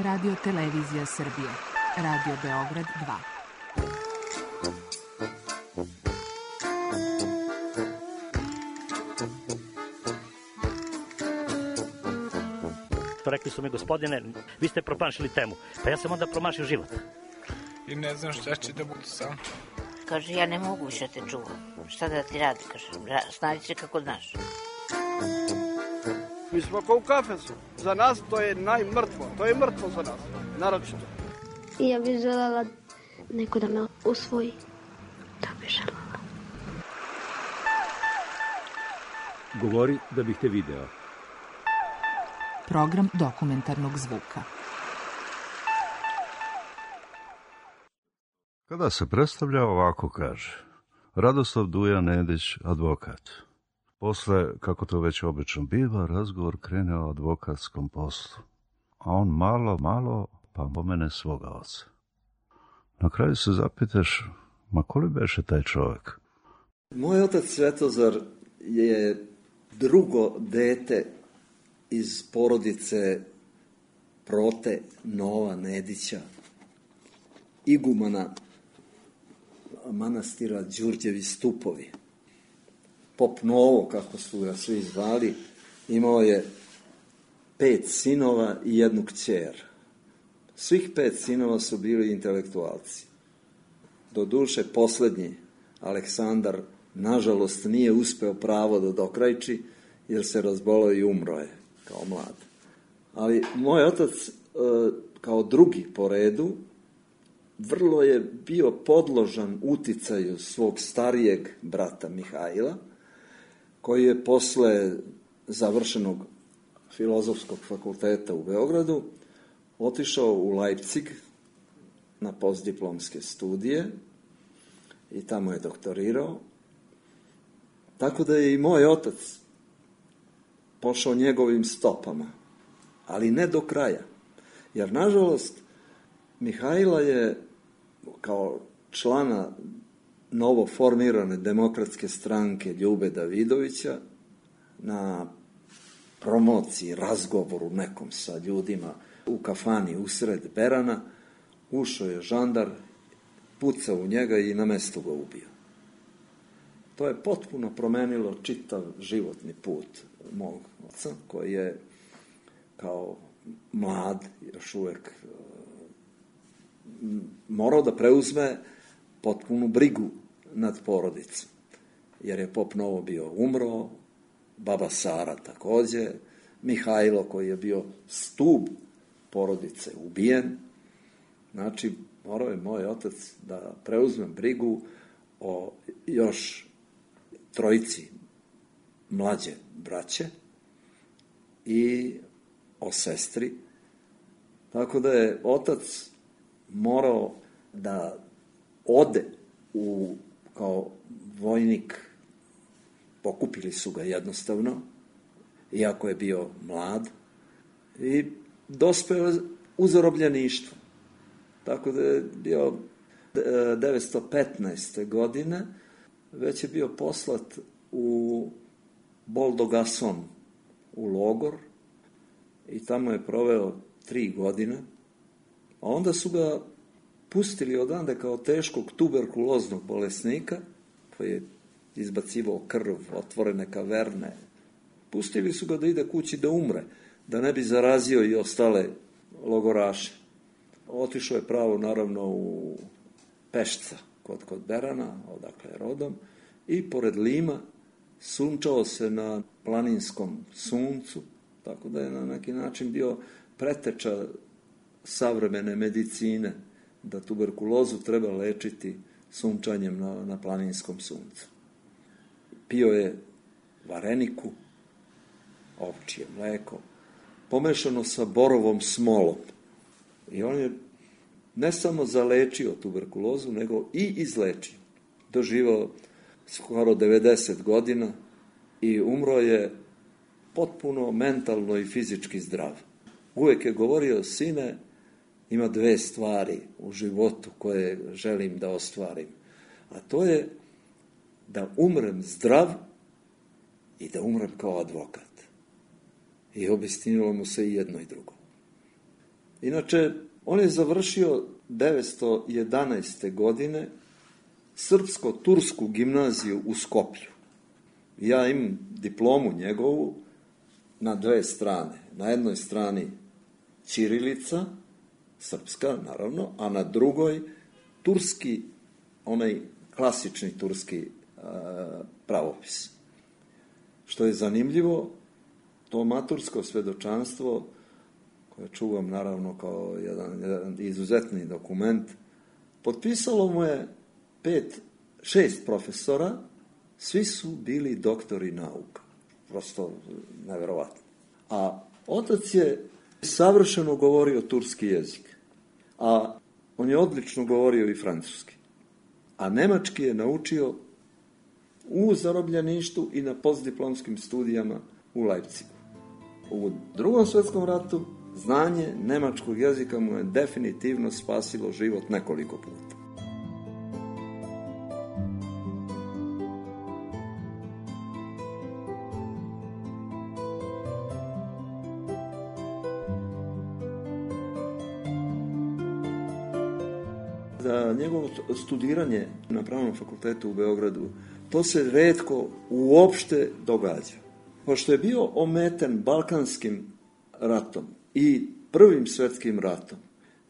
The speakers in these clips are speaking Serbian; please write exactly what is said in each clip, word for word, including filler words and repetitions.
Radio Televizija Srbije. Radio Beograd dva. Rekli su mi, gospodine, vi ste promašili temu. Pa ja sam onda promašio život. I ne znam šta će da bude sam. Kaže, ja ne mogu više te čuvam. Šta da ti radi, kaže, snađi se kako znaš. Mi smo kao u kafesu. Za nas to je najmrtvo. To je mrtvo za nas, naročito. I ja bih želela neko da me usvoji. Da bih želela. Govori da bih te video. Program dokumentarnog zvuka. Kada se predstavlja, ovako kaže: Radoslav Duja Nedić, advokat. Posle, kako to već obično biva, razgovor krene o advokatskom poslu. A on malo, malo, pa pomene svoga oca. Na kraju se zapitaš, ma ko li beše taj čovjek? Moj otac Svetozar je drugo dete iz porodice Prote Nova Nedića, igumana manastira Đurđevi Stupovi. Pop Novo, kako su ga svi zvali, imao je pet sinova i jednu kćer. Svih pet sinova su bili intelektualci. Doduše, poslednji, Aleksandar, nažalost, nije uspeo pravo da dokrajči, jer se razbolao i umro je kao mlad. Ali moj otac, kao drugi po redu, vrlo je bio podložan uticaju svog starijeg brata Mihajla, koji je posle završenog filozofskog fakulteta u Beogradu otišao u Leipzig na postdiplomske studije i tamo je doktorirao. Tako da je i moj otac pošao njegovim stopama, ali ne do kraja. Jer, nažalost, Mihajla je kao člana novo formirane demokratske stranke Ljube Davidovića na promociji, razgovoru nekom sa ljudima u kafani usred Berana, ušao je žandar, pucao u njega i na mestu ga ubio. To je potpuno promenilo čitav životni put mog oca, koji je kao mlad, još uvek morao da preuzme potpunu brigu nad porodicom. Jer je Pop Novo bio umro, baba Sara takođe, Mihajlo koji je bio stub porodice ubijen. Znači, morao je moj otac da preuzme brigu o još trojici mlađe braće i o sestri. Tako da je otac morao da ode u, kao vojnik, pokupili su ga jednostavno, iako je bio mlad, i dospeo u zarobljeništvo. Tako da je bio devetsto petnaeste. godine, već je bio poslat u Boldogason, u logor, i tamo je proveo tri godine, a onda su ga pustili odande kao teškog tuberkuloznog bolesnika, koji je izbacivao krv, otvorene kaverne. Pustili su ga da ide kući da umre, da ne bi zarazio i ostale logoraše. Otišao je pravo, naravno, u Pešca, kod, kod Berana, odakle je rodom, i pored Lima sunčao se na planinskom suncu, tako da je na neki način bio preteča savremene medicine, da tuberkulozu treba lečiti sunčanjem na, na planinskom suncu. Pio je vareniku, ovčje mleko, pomešano sa borovom smolom. I on je ne samo zalečio tuberkulozu, nego i izlečio. Doživao skoro devedeset godina i umro je potpuno mentalno i fizički zdrav. Uvek je govorio: sine, ima dve stvari u životu koje želim da ostvarim. A to je da umrem zdrav i da umrem kao advokat. I obistinilo mu se i jedno i drugo. Inače, on je završio devetsto jedanaeste. godine srpsko-tursku gimnaziju u Skoplju. Ja imam diplomu njegovu na dve strane. Na jednoj strani ćirilica, srpska naravno, a na drugoj turski, onaj klasični turski a, pravopis. Što je zanimljivo, to matursko svedočanstvo, koje čuvam naravno kao jedan, jedan izuzetni dokument, potpisalo mu je pet, šest profesora, svi su bili doktori nauka. Prosto neverovatno. A otac je savršeno govorio turski jezik, a on je odlično govorio i francuski. A nemački je naučio u zarobljeništu i na postdiplomskim studijama u Leipzigu. U Drugom svjetskom ratu znanje nemačkog jezika mu je definitivno spasilo život nekoliko puta. Za njegovo studiranje na Pravnom fakultetu u Beogradu, to se retko uopšte događa. Pošto je bio ometen Balkanskim ratom i Prvim svjetskim ratom,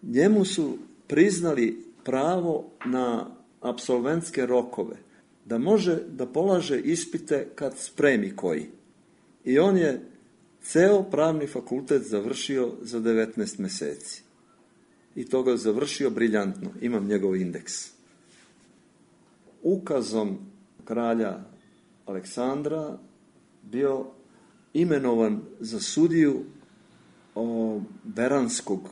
njemu su priznali pravo na apsolventske rokove, da može da polaže ispite kad spremi koji. I on je ceo pravni fakultet završio za devetnaest meseci. I to ga završio briljantno. Imam njegov indeks. Ukazom kralja Aleksandra bio imenovan za sudiju o, Beranskog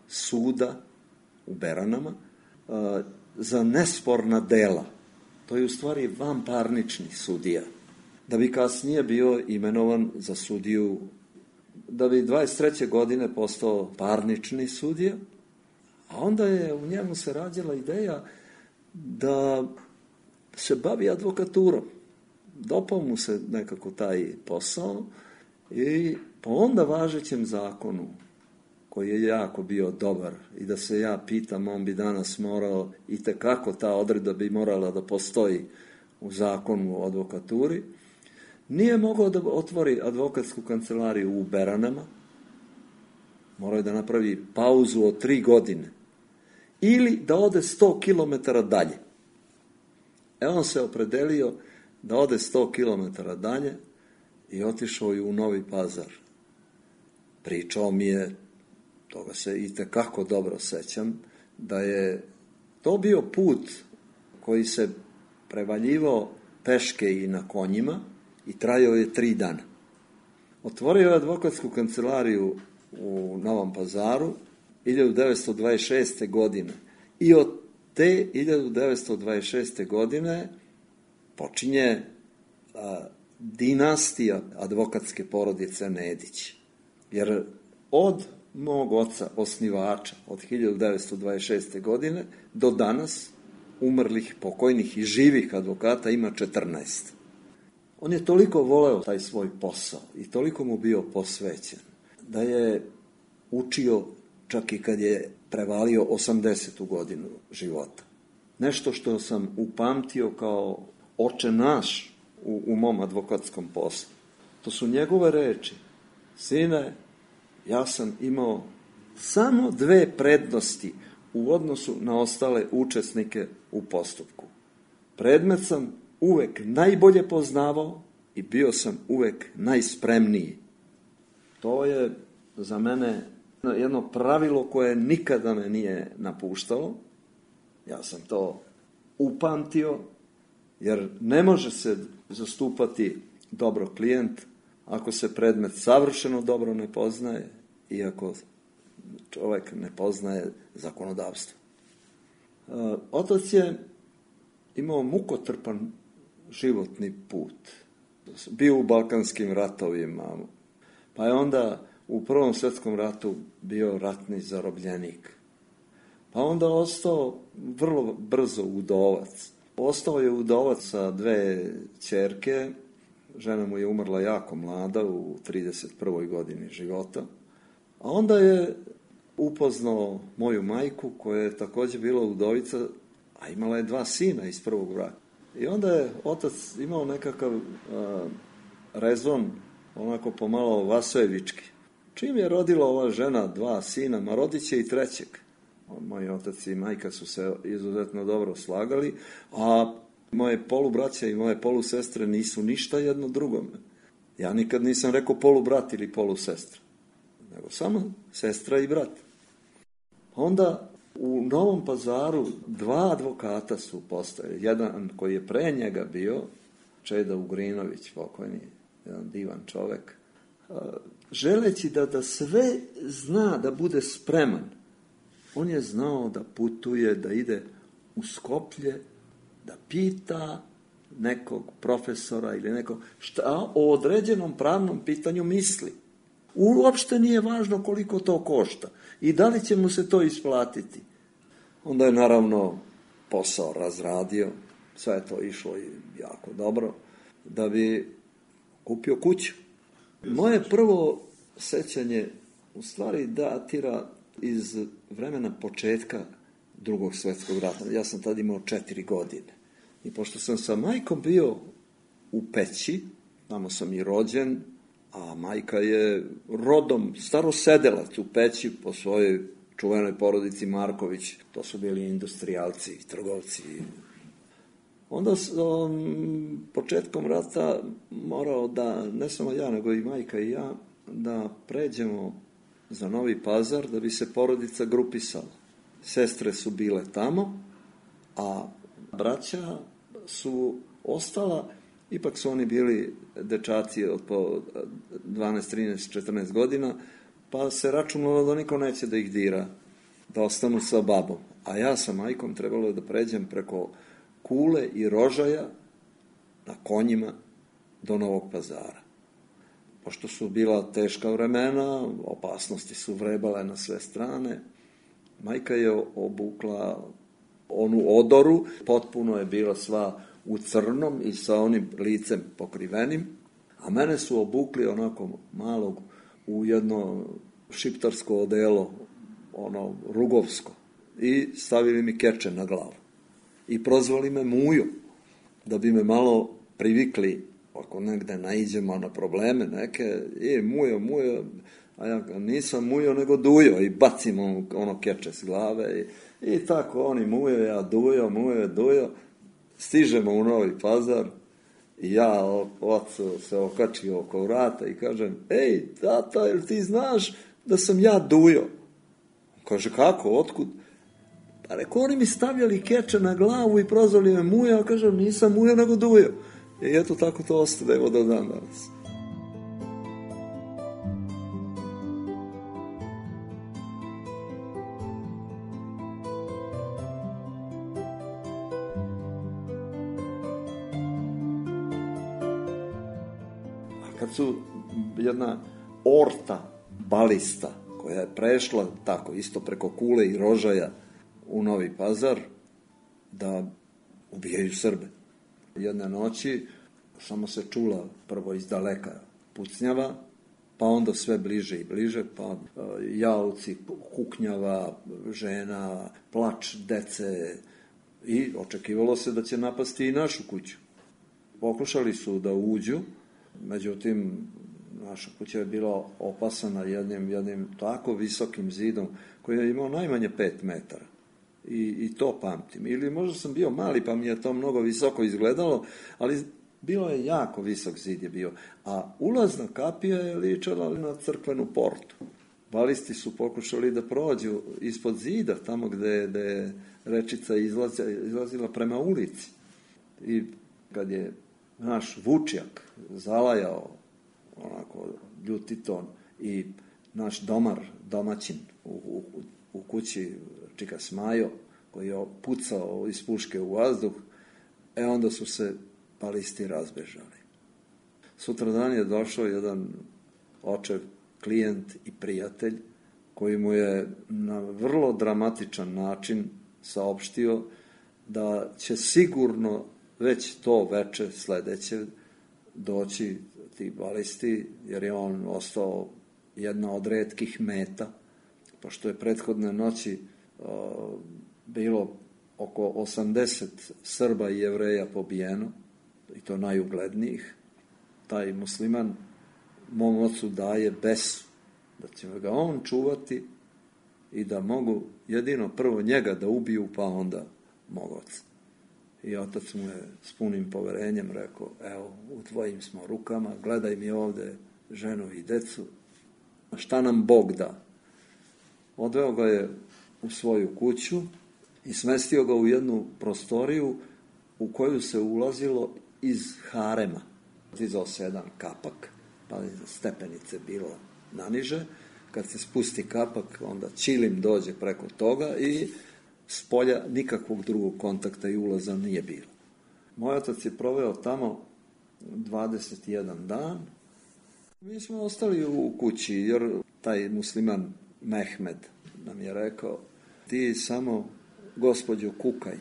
suda u Beranama a, za nesporna dela. To je u stvari vanparnični sudija. Da bi kasnije bio imenovan za sudiju, da bi dvadeset treće godine postao parnični sudija, a onda je u njemu se rađala ideja da se bavi advokaturom. Dopao mu se nekako taj posao i po onda važećem zakonu, koji je jako bio dobar i da se ja pitam, on bi danas morao, i tekako ta odredba bi morala da postoji u zakonu o advokaturi, nije mogao da otvori advokatsku kancelariju u Beranama, morao je da napravi pauzu od tri godine ili da ode sto kilometara dalje. E on se opredelio da ode sto kilometara dalje i otišao je u Novi Pazar. Pričao mi je, toga se i tekako dobro sećam, da je to bio put koji se prevaljivao peške i na konjima i trajao je tri dana. Otvorio je advokatsku kancelariju u Novom Pazaru hiljadu devetsto dvadeset šeste. godine i od te hiljadu devetsto dvadeset šeste. godine počinje a, dinastija advokatske porodice Nedić. Jer od mog oca, osnivača, od hiljadu devetsto dvadeset šeste. godine do danas umrlih, pokojnih i živih advokata ima četrnaest. On je toliko voleo taj svoj posao i toliko mu bio posvećen da je učio čak i kad je prevalio osamdesetu godinu života. Nešto što sam upamtio kao oče naš u, u mom advokatskom poslu. To su njegove reči. Sine, ja sam imao samo dve prednosti u odnosu na ostale učesnike u postupku. Predmet sam uvek najbolje poznavao i bio sam uvek najspremniji. To je za mene jedno pravilo koje nikada me nije napuštalo. Ja sam to upamtio, jer ne može se zastupati dobro klijent ako se predmet savršeno dobro ne poznaje i ako čovjek ne poznaje zakonodavstvo. Otac je imao mukotrpan životni put. Bio u Balkanskim ratovima, pa je onda u Prvom svjetskom ratu bio ratni zarobljenik. Pa onda ostao vrlo brzo udovac. Ostao je udovac sa dve ćerke, žena mu je umrla jako mlada u trideset prvoj godini života. A onda je upoznao moju majku, koja je također bila udovica, a imala je dva sina iz prvog braka. I onda je otac imao nekakav a, rezon, onako pomalo vasojevički. Čim je rodila ova žena dva sina, ma rodit će i trećeg. Moji otac i majka su se izuzetno dobro slagali, a moje polubraća i moje polusestre nisu ništa jedno drugome. Ja nikad nisam rekao polubrat ili polusestra, nego samo sestra i brat. Onda u Novom Pazaru dva advokata su postojali. Jedan koji je pre njega bio, Čeda Ugrinović, pokojni, jedan divan čovek, želeći da, da sve zna, da bude spreman. On je znao da putuje, da ide u Skoplje, da pita nekog profesora ili nekog šta o određenom pravnom pitanju misli. Uopšte nije važno koliko to košta i da li će mu se to isplatiti. Onda je naravno posao razradio, sve je to išlo i jako dobro, da bi kupio kuću. Moje prvo sećanje u stvari datira iz vremena početka Drugog svjetskog rata. Ja sam tad imao četiri godine. I pošto sam sa majkom bio u Peći, tamo sam i rođen, a majka je rodom starosedelac u Peći po svojoj čuvenoj porodici Marković. To su bili industrijalci i trgovci. Onda sam početkom rata morao da, ne samo ja, nego i majka i ja, da pređemo za Novi Pazar da bi se porodica grupisala. Sestre su bile tamo, a braća su ostala, ipak su oni bili dečaci od po dvanaest, trinaest, četrnaest godina, pa se računalo da niko neće da ih dira, da ostanu sa babom. A ja sa majkom trebalo da pređem preko Kule i Rožaja na konjima do Novog Pazara. Pošto su bila teška vremena, opasnosti su vrebale na sve strane, majka je obukla onu odoru, potpuno je bila sva u crnom i sa onim licem pokrivenim, a mene su obukli onako malog u jedno šiptarsko odelo, ono rugovsko, i stavili mi keče na glavu. I prozvali me Mujo, da bi me malo privikli, ako negde naiđemo na probleme neke, i Mujo, Mujo, a ja nisam Mujo nego Dujo, i bacim ono, ono keče s glave, i, i tako oni Mujo, ja Dujo, Mujo, Dujo, stižemo u Novi Pazar, i ja ocu se okačio oko vrata i kažem, ej, tata, jel ti znaš da sam ja Dujo? Kaže, kako, otkud? Pa reko, oni mi stavljali keče na glavu i prozvali me Mujo, a kažem, nisam Mujo nego Dujo. I eto tako to ostane, evo do dan danas. A kad su jedna orta balista, koja je prešla tako isto preko Kule i Rožaja u Novi Pazar, da ubijaju Srbe. Jedne noći samo se čula prvo iz daleka pucnjava, pa onda sve bliže i bliže, pa jaoci, kuknjava, žena, plač dece, i očekivalo se da će napasti i našu kuću. Pokušali su da uđu, međutim, naša kuća je bila opasana jednim, jednim tako visokim zidom koji je imao najmanje pet metara. I, i to pamtim. Ili možda sam bio mali pa mi je to mnogo visoko izgledalo, ali bilo je jako visok zid je bio. A ulazna kapija je ličala na crkvenu portu. Balisti su pokušali da prođu ispod zida, tamo gde, gde je rečica izlazila, izlazila prema ulici. I kad je naš Vučjak zalajao onako ljutiton i naš domar, domaćin u, u, u kući Čika Smajo, koji je pucao iz puške u vazduh, e onda su se balisti razbežali. Sutradan je došao jedan očev, klijent i prijatelj, koji mu je na vrlo dramatičan način saopštio da će sigurno već to veče sledeće doći ti balisti, jer je on ostao jedna od retkih meta pošto je prethodne noći o, bilo oko osamdeset Srba i Jevreja pobijeno, i to najuglednijih, taj musliman mom ocu daje besu, da će ga on čuvati i da mogu jedino prvo njega da ubiju, pa onda mog oca. I otac mu je s punim poverenjem rekao, evo, u tvojim smo rukama, gledaj mi ovde ženu i decu, šta nam Bog da. Odveo ga je u svoju kuću i smestio ga u jednu prostoriju u koju se ulazilo iz harema. Dizao se jedan kapak, pa stepenice bilo naniže. Kad se spusti kapak, onda ćilim dođe preko toga i s polja nikakvog drugog kontakta i ulaza nije bilo. Moj otac je proveo tamo dvadeset jedan dan. Mi smo ostali u kući, jer taj musliman Mehmed nam je rekao, ti samo gospođo kukaj,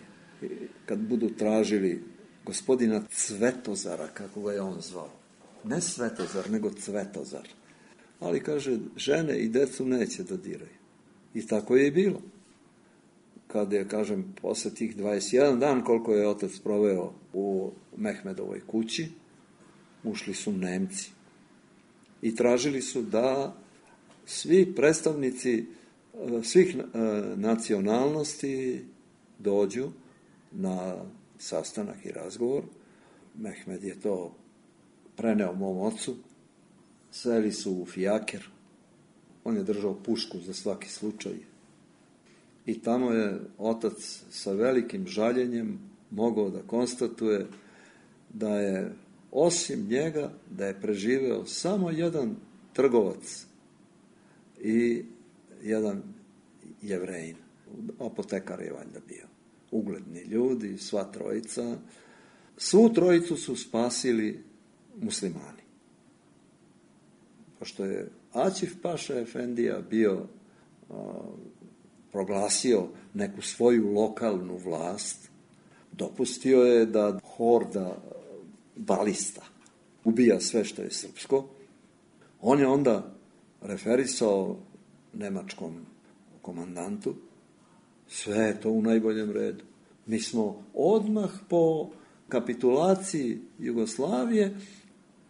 kad budu tražili gospodina Cvetozara, kako ga je on zvao. Ne Svetozar, nego Cvetozar. Ali, kaže, žene i decu neće da diraju. I tako je i bilo. Kad je, kažem, posle tih dvadeset jedan dan, koliko je otac proveo u Mehmedovoj kući, ušli su Nemci. I tražili su da svi predstavnici svih nacionalnosti dođu na sastanak i razgovor. Mehmed je to preneo mom ocu. Seli su u fijaker. On je držao pušku za svaki slučaj. I tamo je otac sa velikim žaljenjem mogao da konstatuje da je osim njega da je preživeo samo jedan trgovac i jedan Jevrejin. Apotekar je valjda bio. Ugledni ljudi, sva trojica. Svu trojicu su spasili muslimani. Pošto je Aćif Paša Efendija bio a, proglasio neku svoju lokalnu vlast, dopustio je da horda balista ubija sve što je srpsko. On je onda referisao nemačkom komandantu, sve je to u najboljem redu. Mi smo odmah po kapitulaciji Jugoslavije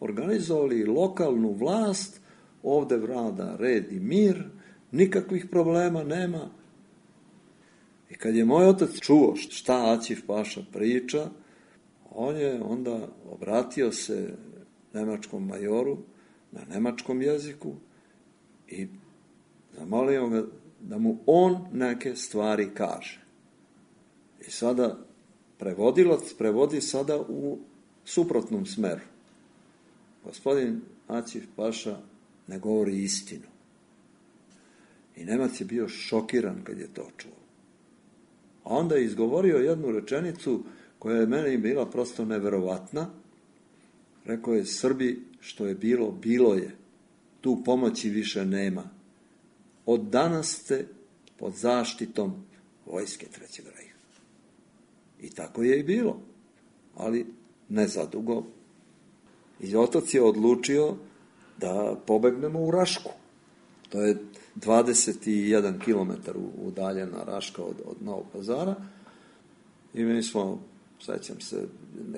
organizovali lokalnu vlast, ovde vlada red i mir, nikakvih problema nema. I kad je moj otac čuo šta Aćif Paša priča, on je onda obratio se nemačkom majoru na nemačkom jeziku i zamolio ga da mu on neke stvari kaže. I sada prevodilac prevodi sada u suprotnom smeru. Gospodin Aćif Paša ne govori istinu. I Nemac je bio šokiran kad je to čuo. A onda je izgovorio jednu rečenicu koja je meni bila prosto neverovatna. Rekao je, Srbi, što je bilo, bilo je. Tu pomoći više nema. Od danas ste pod zaštitom vojske Trećeg rejha. I tako je i bilo. Ali ne zadugo. I otac je odlučio da pobegnemo u Rašku. To je dvadeset jedan kilometar udaljena Raška od, od Novog Pazara. I mi smo, sećam se,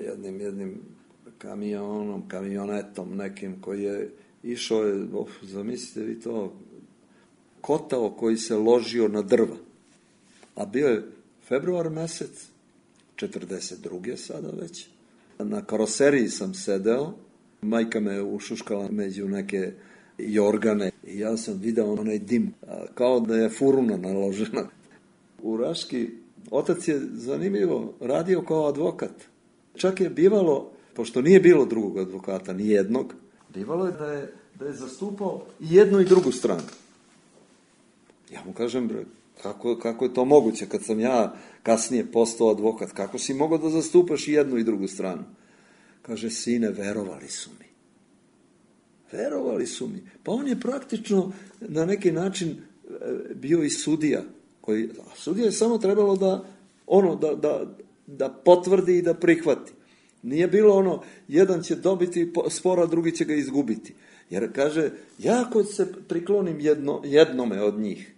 jednim, jednim kamionom, kamionetom nekim koji je išao, je, oh, zamislite vi to, kotao koji se ložio na drva. A bio je februar mesec, četrdeset druge sada već. Na karoseriji sam sedeo, majka me ušuškala među neke jorgane i ja sam video onaj dim, kao da je furuna naložena. U Raški otac je zanimljivo radio kao advokat. Čak je bivalo, pošto nije bilo drugog advokata, ni jednog, bivalo je da je, da je zastupao i jednu i drugu stranu. Ja mu kažem, kako, kako je to moguće kad sam ja kasnije postao advokat, kako si mogao da zastupaš i jednu i drugu stranu? Kaže, sine, verovali su mi. Verovali su mi. Pa on je praktično na neki način bio i sudija. Koji, a sudija je samo trebalo da, ono, da, da, da potvrdi i da prihvati. Nije bilo ono, jedan će dobiti spor, a drugi će ga izgubiti. Jer kaže, ja ako se priklonim jedno, jednome od njih,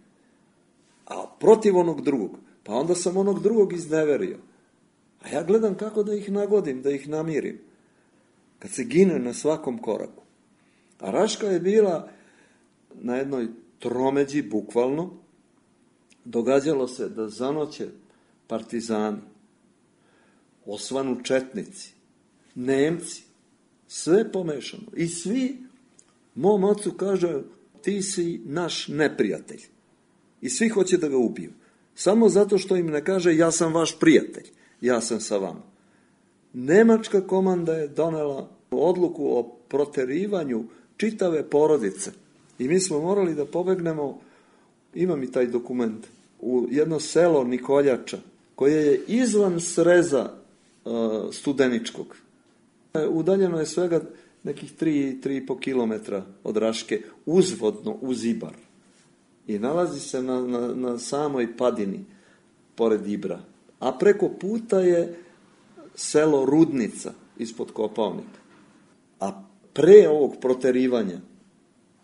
a protiv onog drugog. Pa onda sam onog drugog izneverio. A ja gledam kako da ih nagodim, da ih namirim. Kad se gine na svakom koraku. A Raška je bila na jednoj tromeđi, bukvalno. Događalo se da zanoće partizani, osvanu četnici, Nemci, sve pomešano. I svi mom ocu kaže, ti si naš neprijatelj. I svi hoće da ga ubiju. Samo zato što im ne kaže, ja sam vaš prijatelj, ja sam sa vama. Nemačka komanda je donela odluku o proterivanju čitave porodice. I mi smo morali da pobegnemo, imam i taj dokument, u jedno selo Nikoljača, koje je izvan sreza uh, Studeničkog. Udaljeno je svega nekih tri, tri i po kilometra od Raške, uzvodno uz Ibar. I nalazi se na, na, na samoj padini, pored Ibra. A preko puta je selo Rudnica, ispod Kopaonika. A pre ovog proterivanja,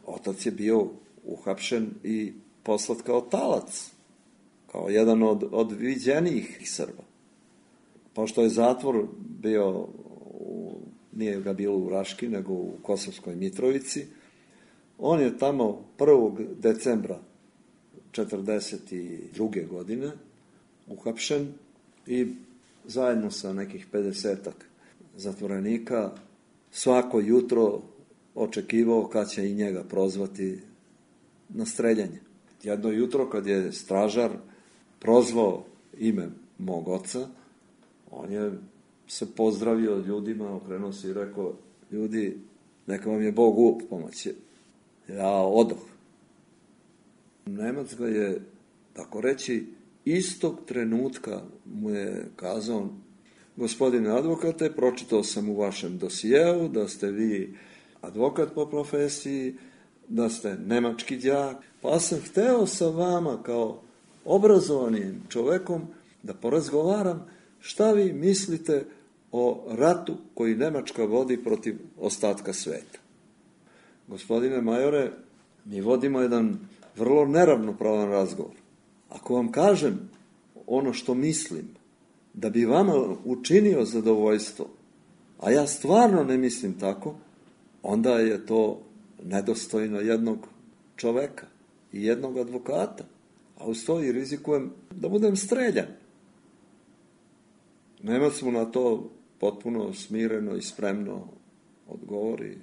otac je bio uhapšen i poslat kao talac, kao jedan od, od viđenijih Srba. Pošto je zatvor bio, u, nije ga bilo u Raški, nego u Kosovskoj Mitrovici, on je tamo prvog decembra četrdeset druge godine uhapšen i zajedno sa nekih pedesetak zatvorenika svako jutro očekivao kad će i njega prozvati na streljanje. Jedno jutro kad je stražar prozvao ime mog oca, on je se pozdravio ljudima, okrenuo se i rekao, ljudi, neka vam je Bog u pomoći. Ja odoh. Nemac ga je, tako reći, istog trenutka mu je kazao, gospodine advokate, pročitao sam u vašem dosijeu da ste vi advokat po profesiji, da ste nemački đak, pa sam hteo sa vama kao obrazovanim čovekom da porazgovaram šta vi mislite o ratu koji Nemačka vodi protiv ostatka sveta. Gospodine majore, mi vodimo jedan vrlo neravnopravan razgovor. Ako vam kažem ono što mislim, da bi vama učinio zadovoljstvo, a ja stvarno ne mislim tako, onda je to nedostojno jednog čoveka i jednog advokata. A uz to i rizikujem da budem streljan. Nemac mu na to potpuno smireno i spremno odgovori,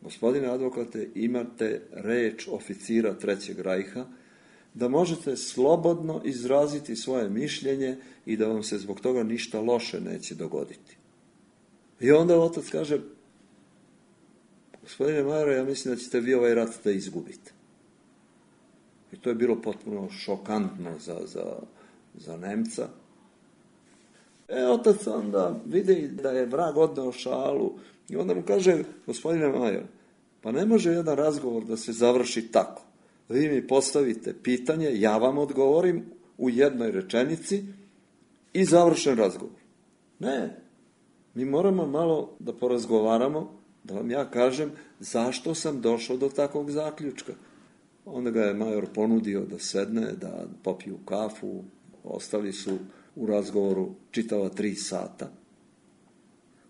gospodine advokate, imate reč oficira Trećeg rajha, da možete slobodno izraziti svoje mišljenje i da vam se zbog toga ništa loše neće dogoditi. I onda otac kaže, gospodine majore, ja mislim da ćete vi ovaj rat da izgubite. I to je bilo potpuno šokantno za, za, za Nemca. E, otac onda vidi da je vrag odneo šalu i onda mu kaže, gospodine majore, pa ne može jedan razgovor da se završi tako. Vi mi postavite pitanje, ja vam odgovorim u jednoj rečenici i završen razgovor. Ne, mi moramo malo da porazgovaramo, da vam ja kažem zašto sam došao do takvog zaključka. Onda ga je major ponudio da sedne, da popiju kafu, ostali su u razgovoru čitava tri sata.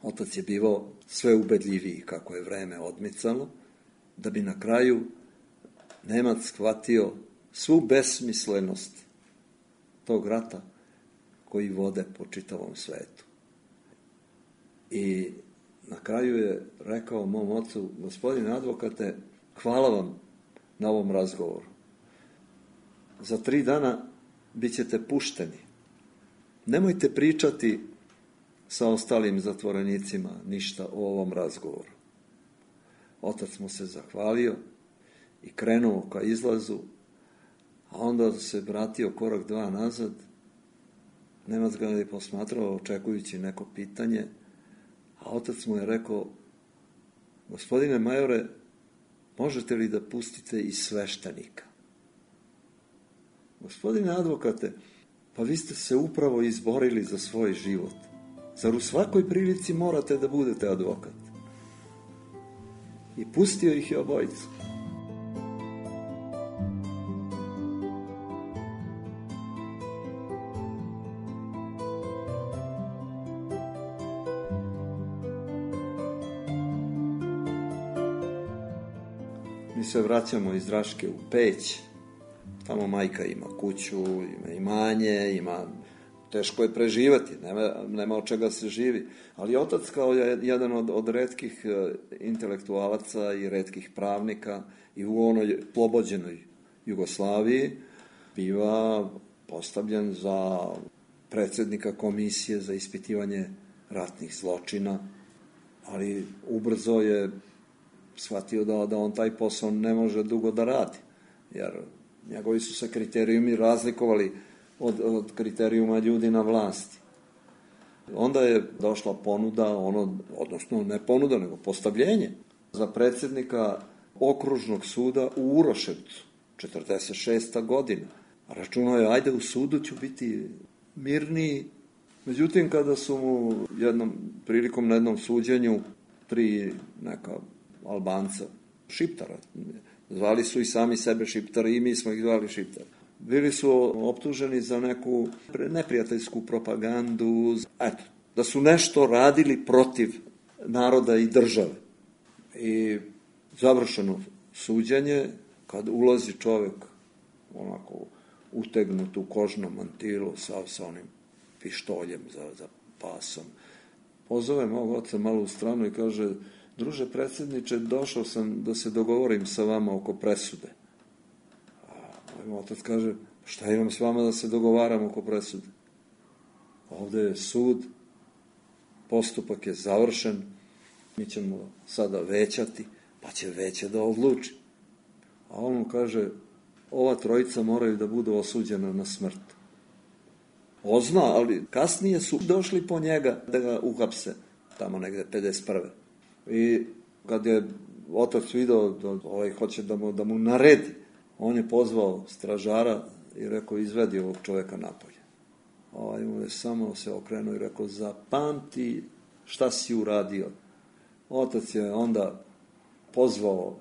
Otac je bivao sve ubedljiviji kako je vreme odmicalo, da bi na kraju Nemac shvatio svu besmislenost tog rata koji vode po čitavom svetu. I na kraju je rekao mom ocu, gospodine advokate, hvala vam na ovom razgovoru. Za tri dana bit ćete pušteni. Nemojte pričati sa ostalim zatvorenicima ništa o ovom razgovoru. Otac mu se zahvalio i krenuo ka izlazu, a onda se vratio korak dva nazad. Nemac ga je posmatrao očekujući neko pitanje, a otac mu je rekao, gospodine majore, možete li da pustite i sveštenika? Gospodine advokate, pa vi ste se upravo izborili za svoj život. Zar u svakoj prilici morate da budete advokat? I pustio ih je obojicu. Mi se vraćamo iz Raške u Peć, tamo majka ima kuću, ima imanje, ima... Teško je preživati, nema, nema od čega se živi. Ali otac kao je jedan od, od retkih intelektualaca i retkih pravnika i u onoj slobođenoj Jugoslaviji biva postavljen za predsjednika komisije za ispitivanje ratnih zločina, ali ubrzo je shvatio da, da on taj posao ne može dugo da radi, jer njegovi su se kriterijumi razlikovali od, od kriterijuma ljudi na vlasti. Onda je došla ponuda, ono, odnosno ne ponuda, nego postavljenje za predsjednika okružnog suda u Uroševcu, četrdeset šesta godina. Računao je, ajde u sudu ću biti mirniji. Međutim, kada su mu jednom prilikom na jednom suđenju tri neka Albanca, Šiptara, zvali su i sami sebe Šiptari i mi smo ih zvali Šiptari, bili su optuženi za neku neprijateljsku propagandu, eto, da su nešto radili protiv naroda i države. I završeno suđenje, kad ulazi čovjek onako utegnut u kožnom mantilu sa, sa onim pištoljem za, za pasom, pozove mog oca malo u stranu i kaže, druže predsjedniče, došao sam da se dogovorim sa vama oko presude. A moj otac kaže, šta imam s vama da se dogovaram oko presude? Ovdje je sud, postupak je završen, mi ćemo sada većati, pa će veće da odluči. A on mu kaže, ova trojica moraju da budu osuđena na smrt. Ozna, ali kasnije su došli po njega da ga uhapse, tamo negde pedeset prve. I kad je otac video da ovaj hoće da mu, da mu naredi, on je pozvao stražara i rekao, izvedi ovog čovjeka napolje. Ovaj mu je samo se okrenuo i rekao, zapamti šta si uradio. Otac je onda pozvao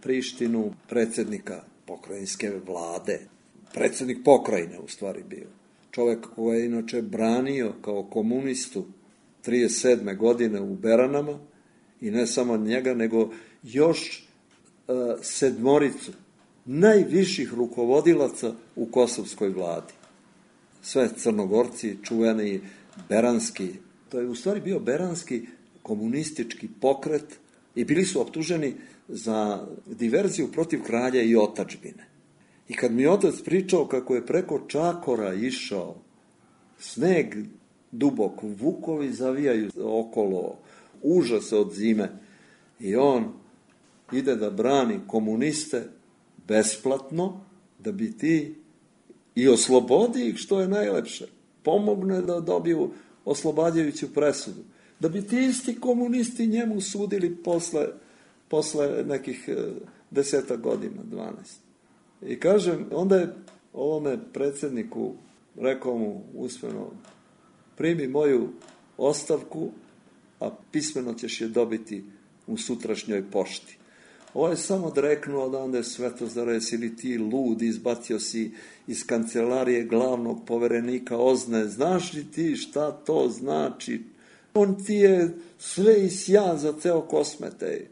Prištinu, predsjednika pokrajinske vlade, predsjednik pokrajine u stvari bio. Čovjek koji je inače branio kao komunistu trideset sedme godine u Beranama, i ne samo njega, nego još uh, sedmoricu najviših rukovodilaca u kosovskoj vladi. Sve Crnogorci, čuveni Beranski, to je u stvari bio Beranski komunistički pokret i bili su optuženi za diverziju protiv kralja i otadžbine. I kad mi otac pričao kako je preko Čakora išao, sneg dubok, vukovi zavijaju okolo, užas od zime, i on ide da brani komuniste besplatno, da bi ti i oslobodi ih, što je najlepše, pomogne da dobiju oslobađajuću presudu, da bi ti isti komunisti njemu sudili posle, posle nekih deseta godina, dvanaest. I kažem, onda je ovome predsjedniku rekao mu usmeno, primi moju ostavku, a pismeno ćeš je dobiti u sutrašnjoj pošti. Ovo je samo dreknuo da onda je Svetozar, jesi li ti lud, izbacio si iz kancelarije glavnog poverenika Ozne, znaš li ti šta to znači? On ti je sve i sja za ceo Kosmetej.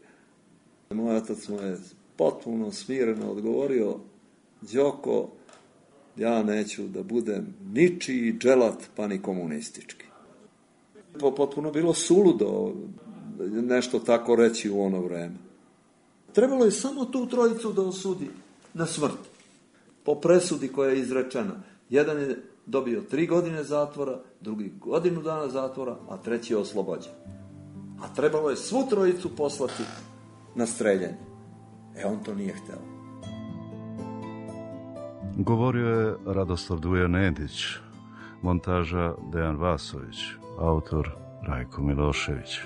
Moj otac mu je potpuno smireno odgovorio, Đoko, ja neću da budem ničiji dželat, pa ni komunistički. Potpuno bilo suludo nešto tako reći u ono vreme. Trebalo je samo tu trojicu da osudi na smrt, po presudi koja je izrečena. Jedan je dobio tri godine zatvora, drugi godinu dana zatvora, a treći je oslobođen. A trebalo je svu trojicu poslati na streljanje. E, on to nije hteo. Govorio je Radoslav Duja Nedić, montaža Dejan Vasović, autor Rajko Milošević.